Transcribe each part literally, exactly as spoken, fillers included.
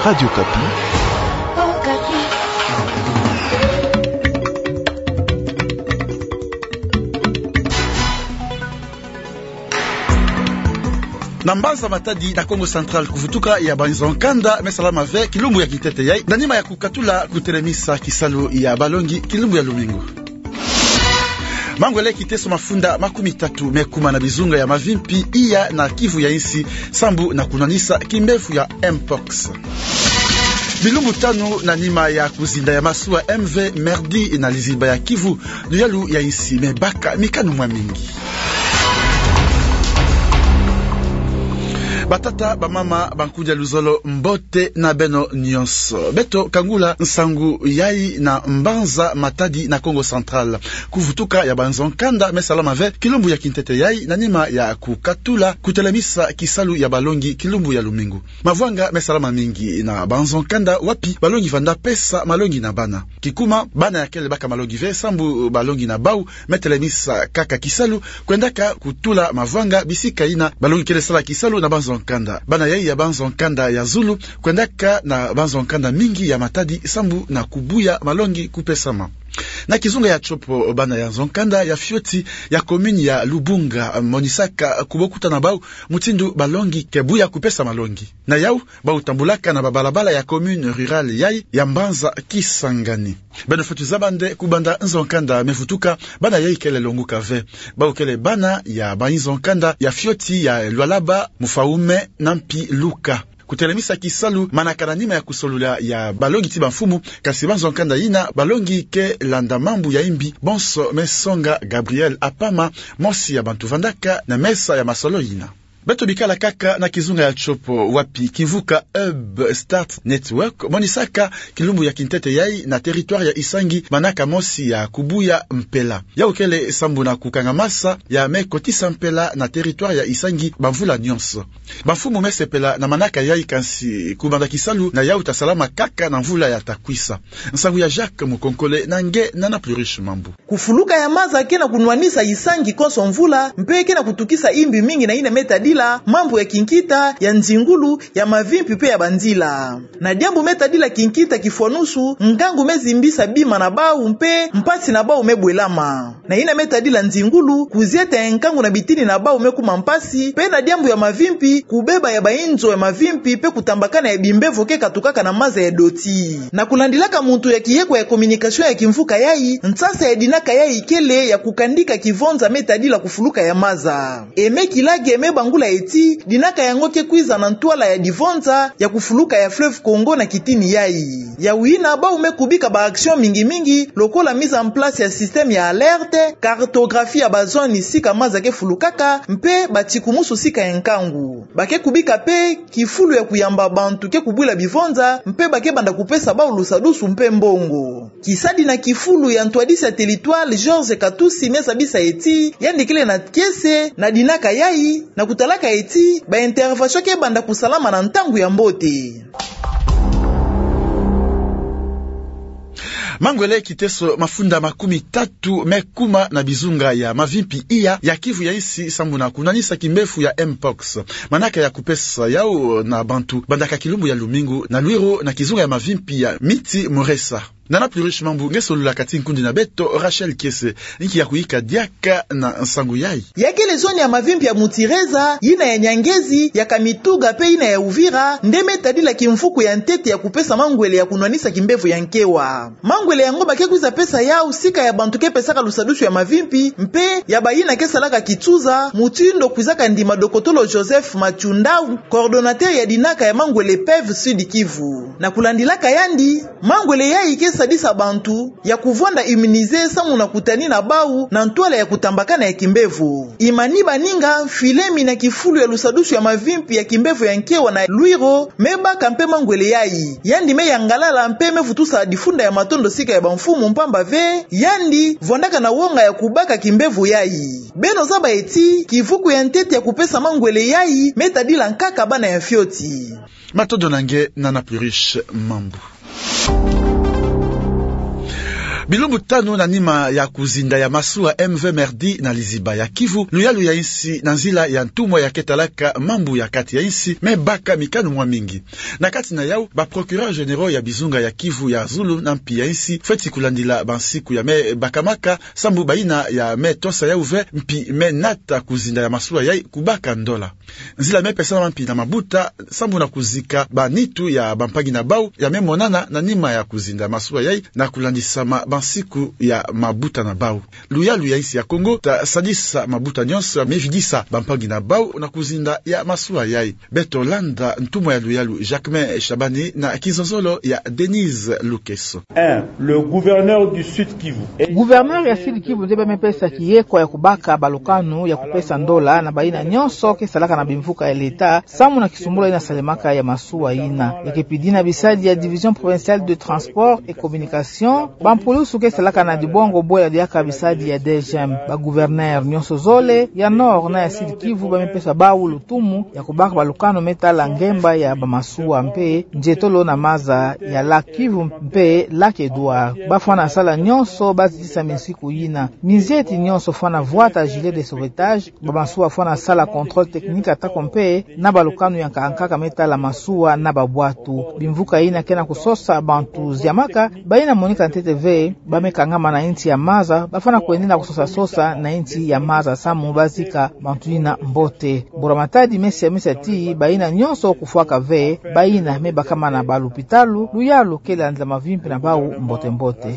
Radio Okapi. Na mbanza Matadi na Kongo Central, kuvutuka ya banzo nkanda me salama ve kilumbu ya kintete yai, na nima ya kukatula kutelemisa kisalu ya balongi kilumbu ya lumingu. Mangwele kiteso mafunda makumi tatu me kuma na bizunga ya mavimpi iya na Kivu ya insi, sambu na kunwanisa kimbevo ya mpox. Bilumbu tanu na nima ya kuzinda ya masuwa M V Merdi na lizimba ya Kivu, luyalu ya insi me baka mikanu mwa mingi. Batata, bamama, bankudia luzolo, mbote na beno nyonso. Beto kangula nsangu yai na mbanza Matadi na Kongo Central. Kuvutuka ya banzo nkanda me salama ve kilumbu ya kintete yai, na nima ya kukatula kutelemisa kisalu ya balongi kilumbu ya lumingu. Mavwanga me salama mingi na banzo nkanda wapi balongi vanda pesa malongi na bana. Kikuma, bana ya kele baka malongi ve, sambu balongi na bau me telemisa kaka kisalu, kwendaka kutula mavwanga bisika ina balongi kele sala kisalu na banzo nkanda. Bana yai ya banzo nkanda ya zulu kwendaka na banzo nkanda mingi ya Matadi, sambu na kubuya malongi kupesama. Na kizunga ya tsopo, bana ya nzo nkanda ya fioti ya commune ya Lubunga monisaka kubokuta na bau mutindu balongi ke buya kupesa malongi. Na yau, bau tambulaka na babalabala ya commune rurale yai ya mbanza Kisangani. Beno fweti zaba nde kubanda nzo nkanda me vutuka, bana yai kele longuka ve. Bau kele bana ya banzo nkanda ya fioti ya Lualaba, Mfaume na mpi Luka. Kutelemisa kisalu manaka na nima ya kusolula ya balongi ti bamfumu, kasi banzo nkanda ina balongi ke landa mambu ya imbi, bonso me songa Gabriel Apama, mosi ya bantu vandaka na mesa ya masolo ina. Beto bikala kaka na kizunga ya tsopo, wapi kimvuka Hub Start Network monisaka kilumbu ya kintete yai na territoire ya Isangi manaka mosi ya kubuya mpela. Yau kele sambu na kukangamasa ya me kotisa mpela na territoire ya Isangi bamvula nyonso. Bamfumu me sepela na manaka yai, kansi kubanda kisalu na yau ta salama kaka na mvula ya ta kwisa. Nsangu ya Jacques Mukonkole na nge Nana Pluriche Mambu. Kufuluka ya maza ke na kunwanisa Isangi konso mvula, mpe ke na kutukisa imbi mingi na yina me tadila mambu ya kinkita, ya nzingulu, ya mavimpi mpe ya banzila. Na diambu me tadila kinkita kifwanusu, ngangu me zimbisa bima na bau mpe mpasi na bau me bwelama. Na yina me tadila nzingulu, kuzieta ya nkangu na bitini na bau me kuma mpasi, mpe na diambu ya mavimpi, kubeba ya bainzo ya mavimpi mpe kutambakana ya bimbevo ke katukaka na maza ya doti. Na kulandilaka muntu ya kiyekwa ya communication ya kimvuka yai, nsasa ya dinaka yai kele ya kukandika kivonza me tadila kufuluka ya maza. E me kilage me bangula eti, dinaka yango ke kwiza na ntwala ya divonza ya kufuluka ya fleuve Congo na kitini yai. Yawu yina bau me kubika ba action mingi mingi, lokola mise en place ya système ya alerte, cartographie ya ba zone sika maza ke fulukaka, mpe batikumusu sika ya nkangu. Ba ke kubika mpe kifulu ya kuyamba bantu ke kubwila bivonza, mpe ba ke banda kupesa bau lusadusu mpe mbongo. Kisadi na kifulu ya ntwadisi ya territoire, Georges Katusi, me zabisa eti yandi kele na kiese na dinaka yai, na kutalaka eti ba intervention ke banda kusalama na ntangu ya mbote. Mangwele kiteso mafunda makumi tatu me kuma na bizunga ya mavimpi iya ya Kivu ya insi sambu na kunwanisa kimbevo ya mpox. Manaka ya kupesa yau na bantu bandaka kilumbu ya lumingu na Lwiro na kizunga ya mavimpi ya Miti Muresa. Nana Pluriche Mambu, nge solula kati nkundi na beto Rachel Kiese, inki ya kuyika diaka na nsangu yai. Ya kele zone ya mavimpi ya Mutireza, yina ya Nyangezi, ya Kamituga mpe yina ya Uvira nde me tadila kimvuku ya ntete ya kupesa mangwele ya kunwanisa kimbevo ya nkewa. Mangwele yango ba ke kwiza pesa yau sika ya bantu ke pesaka lusadusu ya mavimpi, mpe ya bayina ke salaka kitsuza, mutindu kwizaka ndima dokotolo Joseph Matshundau, coordonnateur ya dinaka ya mangwele PEV Sud Kivu. Na kulandilaka yandi, mangwele yai ke sadisa bantu ya kuvwanda immuniser samu na kutani na bau na ntwala ya kutambakana ya kimbevo. Imani Baninga, mfilemi na kifulu ya lusadusu ya mavimpi ya kimbevo ya nkewa na Lwiro, me baka mpe mangwele yai. Yandi me yangalala mpe me vutusa difunda ya matondo sika ya bamfumu mpamba ve yandi vwandaka na wonga ya kubaka kimbevo yai. Beno zaba eti kivuku ya ntete ya kupesa mangwele yai me tadila nkaka bana ya fioti. Matondo na nge Nana Pluriche Mambu. Bilumbu tanu na nima ya kuzinda ya masuwa M V Merdi na liziba ya Kivu, luyalu ya insi na nzila ya ntumwa ya ketalaka mambu ya kati ya insi me baka mikanu mwa mingi. Na kati na yau, ba procureurs généraux ya bizunga ya Kivu ya zulu na mpi ya insi fweti kulandila bansiku ya me bakamaka, sambu bayina ya me tosa yau ve mpi me nata kuzinda ya masuwa yai kubaka ndola. Nzila me pesama mpi na mabuta sambu na kuzika banitu ya bampangi na bau ya me monana na nima ya kuzinda masuwa yai na kulandisama bansiku ya mabuta na bau. Luyalu ya insi ya Kongo ta sadisa mabuta nyonso ya me vidisa bampangi na bau na kuzinda ya masuwa yai. Beto landa ntumwa ya luyalu Jacquemain Shabani na kizozolo ya Denise Lukeso. Un, le gouverneur du Sud Kivu. Gouverneur ya Sud Kivu nde ba me pesa kiekwa ya kubaka balukanu ya kupesa ndola na bayina nyonso ke salaka na bimvuka ya leta, sambu na kisumbula yina salemaka ya masuwa yina. Ya ke pidi na bisadi ya Division Provinciale de Transport et Communication, bampulusu ke salaka na dibongo bwela diaka bisadi ya D G M. Ba gouverneur nyonso zole, ya Nord na ya Sud Kivu, ba me pesa bau lutumu ya kubaka balukanu me tala ngemba ya bamasuwa mpe nzietolo na maza ya lac Kivu mpe lac Edouard. Ba fwana sala nyonso ba zitisa minsiku yina. Minzieti nyonso fwana vwata gilet de sauvetage, bamasuwa fwana sala contrôle technique atako mpe na balukanu ya nkaka nkaka me tala masuwa na babwatu. Bimvuka yina ke na kusosa bantu ziamaka, bayina monika ntete ve, ba me kangama na insi ya maza, ba fwana kwendela kusosa sosa na insi ya maza sambu ba zika bantu yina mbote. Mbura Matadi me siamisa ti bayina nyonso kufwaka ve, bayina me bakamana ba lupitalu, luyalu ke landila mavimpi na bau mbote mbote.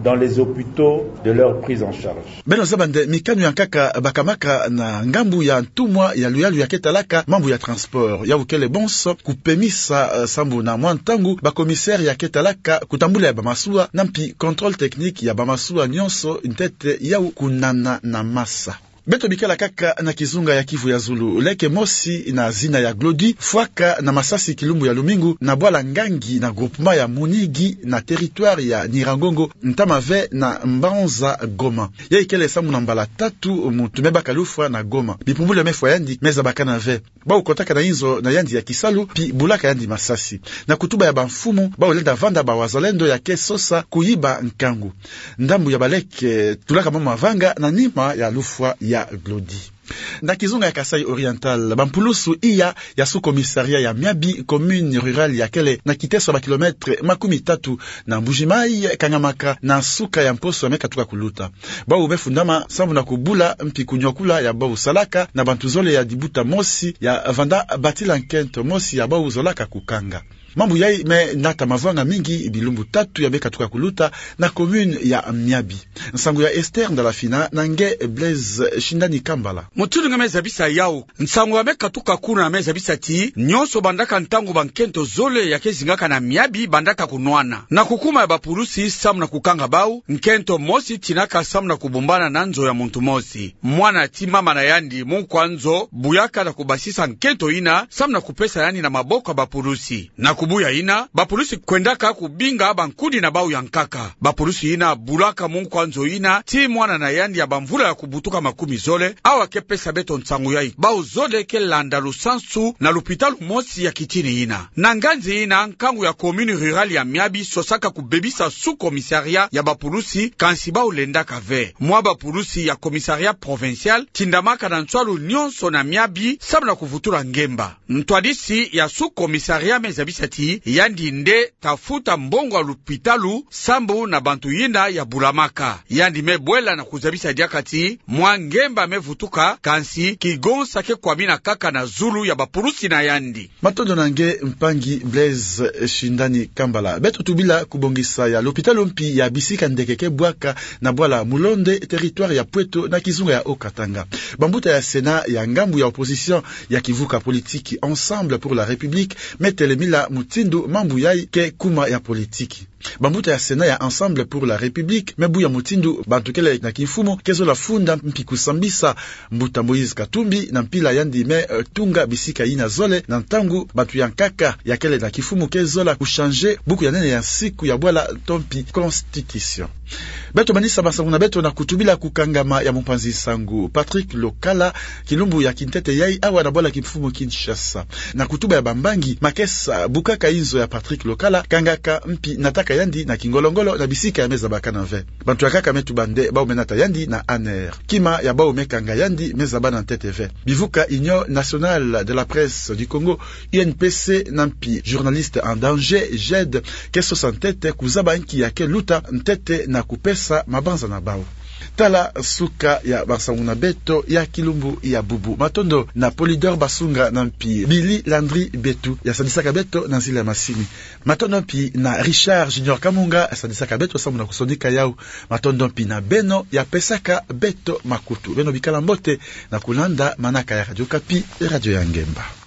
Dans les hôpitaux de leur prise en charge. Beno zaba nde mikanu ya nkaka bakamaka na ngambu ya ntumwa ya luyalu ya ketalaka mambu ya transport. Yau kele bonso kupemisa, eh, sambu na mwa ntangu ba commissaire ya ketalaka kutambula ya bamasuwa na mpi contrôle technique ya bamasuwa nyonso ntete yau kunana na masa. Beto bikala kaka na kizunga ya Kivu ya zulu. Leke mosi na zina ya Glody fwaka na masasi kilumbu ya lumingu na bwala Ngangi na groupement ya Munigi na territoire ya Nyiragongo, ntama ve na mbanza Goma. Yai kele sambu na mbala tatu muntu me baka lufwa na Goma. Bipumbulu ya me fwa yandi me zabakana ve. Bau kotaka na inzo na yandi ya kisalu, mpi bulaka yandi masasi. Na kutuba ya bamfumu, bau lenda vanda bawazalendo ya ke sosa kuyiba nkangu. Ndambu ya baleke tulaka mama vanga na nima ya lufwa ya Glody. Na kizunga ya Kasaï Oriental, bampulusu iya ya sous-commissariat ya Miabi, commune rurale ya kele na kiteso ya ba kilomètres makumi tatu na Mbuji-Mayi, kangamaka na nsuka ya mposo ya me katuka kuluta. Bau me fundama sambu na kubula mpi kunyokula ya bau salaka na bantu zole ya dibuta mosi ya vanda batila nkento mosi ya bau zolaka kukanga. Mambu yai me nata mavanga mingi bilumbu tatu ya me katuka kuluta na commune ya Miabi. Nsangu ya Esther Ndalafina na nge Blaise Shindani Kambala. Mutindu nge me zabisa yau, nsangu ya me katuka kuna me zabisa ti nyonso bandaka ntangu bankento zole ya ke zingaka na Miabi bandaka kunwana. Na kukuma ya bapulusi sambu na kukanga bau, nkento mosi tinaka sambu na kubumbana na nzo ya muntu mosi. Mwana ti mama na yandi, munkwa nzo, buyaka na kubasisa nkento yina sambu na kupesa yandi na maboko ya bapulusi. Na kubuya yina, bapulusi kwendaka kubinga bankudi na bau ya nkaka. Bapulusi yina bulaka munkwa nzo yina ti mwana na yandi ya bamvula ya kubutuka makumi zole, awa ke pesa beto nsangu yai. Bau zole ke landa lusansu na lupitalu mosi ya kitini yina. Na nganzi yina, nkangu ya commune rurale ya Miabi sosaka kubebisa sous-commissariat ya bapulusi, kansi bau lendaka ve. Mwa bapulusi ya commissariat provincial tindamaka na nswalu nyonso na Miabi sambu na kuvutula ngemba. Ntwadisi ya sous-commissariat me zabisa ti yandi nde ta futa mbongo ya lupitalu sambu na bantu yina ya bulamaka. Yandi me bwela na kuzabisa diaka ti mwa ngemba me vutuka, kansi kigonsa ke kwamina kaka na zulu ya bapulusi na yandi. Matondo na nge mpangi Blaise Shindani Kambala. Beto tubila kubongisa ya lupitalu mpi ya bisika ndeke ke bwaka na bwala Mulonde, territoire ya Pweto, na kizunga ya Haut-Katanga. Bambuta ya Sénat ya ngambu ya opposition ya kivuka politiki Ensemble pour la République me telemila mutindu mambu yai ke kuma ya politiki. Bambuta ya Sénat ya Ensemble pour la République me buya mutindu bantu kele na kimfumu ke zola funda mpi kusambisa mbuta Moïse Katumbi na mpila yandi me, eh, tunga bisika yina zole na ntangu bantu ya nkaka ya kele na kimfumu ke zola kuchanger buku ya nene ya nsiku ya bwala to mpi constitution. Beto manisa masangu na beto na kutubila kukangama ya mumpanzi nsangu Patrick Lokala kilumbu ya kintete yai awa na bwala kimfumu Kinshasa. Na kutuba ya bambangi, makesa bukaka inzo ya Patrick Lokala kangaka mpi nataka ka yandi na kingolo-ngolo na bisika ya me zabaka nava. Bantu ya nkaka me tuba'nde bau me nata yandi na ANR. Kima ya bau me kanga yandi me zaba na ntete ve. Bivuka Union Nationale de la Presse du Congo, U N P C, na mpi Journalistes en Danger, JED, ke sosa ntete kuzaba nki ya ke luta ntete na kupesa mabanza na bau. Tala suka ya bansangu na beto ya kilumbu ya bubu. Matondo na Polydor Basunga na mpi Billy Landry Betu ya sadisaka beto na nzila ya masini. Matondo mpi na Richard Junior Kamunga ya sadisaka beto samu na kusonika yau. Matondo mpi na beno ya pesaka beto makutu. Beno bikala mbote na kulanda manaka ya Radio Okapi, radio ya ngemba.